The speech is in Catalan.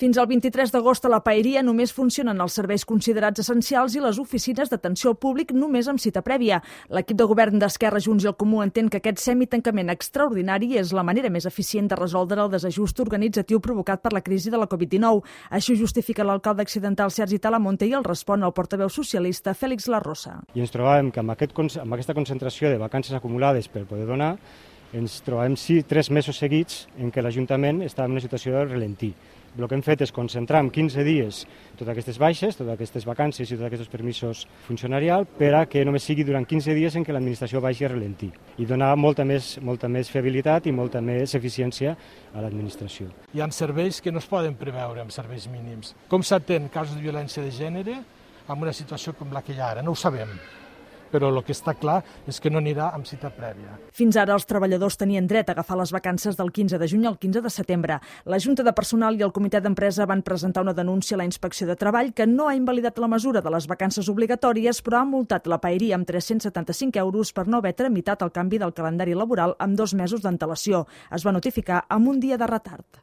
Fins al 23 d'agost a la Paeria només funcionen els serveis considerats essencials i les oficines d'atenció al públic només amb cita prèvia. L'equip de govern d'Esquerra, Junts i el Comú entén que aquest semitancament extraordinari és la manera més eficient de resoldre el desajust organitzatiu provocat per la crisi de la Covid-19. Això justifica l'alcalde accidental Sergi Talamonte i el respon el portaveu socialista Félix Larrosa. I ens trobàvem que amb aquesta concentració de vacances acumulades per poder donar, ens trobàvem 3 mesos seguits en què l'Ajuntament estava en una situació de ralentí. El que hem fet és concentrar en 15 dies totes aquestes baixes, totes aquestes vacances i tots aquests permisos funcionarials per a que només sigui durant 15 dies en què l'administració vagi a ralentí i donar molta més fiabilitat i molta més eficiència a l'administració. Hi ha serveis que no es poden preveure amb serveis mínims. Com s'atén casos de violència de gènere en una situació com la que hi ha ara? No ho sabem, però el que està clar és que no anirà amb cita prèvia. Fins ara els treballadors tenien dret a agafar les vacances del 15 de juny al 15 de setembre. La Junta de Personal i el Comitè d'Empresa van presentar una denúncia a la Inspecció de Treball que no ha invalidat la mesura de les vacances obligatòries, però ha multat la Paeria amb 375 euros per no haver tramitat el canvi del calendari laboral amb 2 mesos d'antelació. Es va notificar amb un dia de retard.